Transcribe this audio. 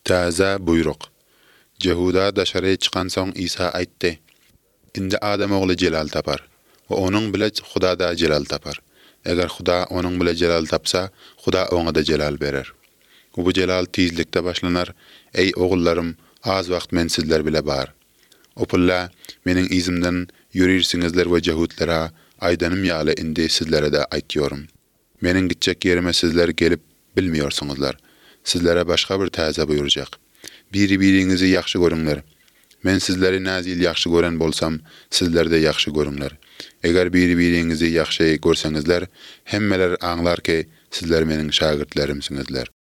Täze buýruk. Jehuda daşary çykansoň Isa aýtdy, Indi Adam Ogly jelal tapar we Onuň bile Huda-da jelal tapar. Eger Huda Onuň bile jelal tapsa, Huda Oňa-da jelal berer. We bu jelal tizlikde başlanar, Eý, ogullarym, az wagt Men sizler bile bar. Opulla, Meniň yzymdan ýörirsiňizler we jehutlera aýdanym ýaly indi sizlere-de aýtýorym. Meniň gitjek ýerime sizler gelip bilmeýorsuňyzlar. Sizlere başga bir täze buýurjak. Biri-biriňizi ýagşy görüňler. Men sizleri näzil ýagşy gören bolsam, sizler-de ýagşy görüňler. Eger biri-biriňizi ýagşy görseňizler, hemmeler aňlar ki, sizler meniň şägirtlerimsiňizler.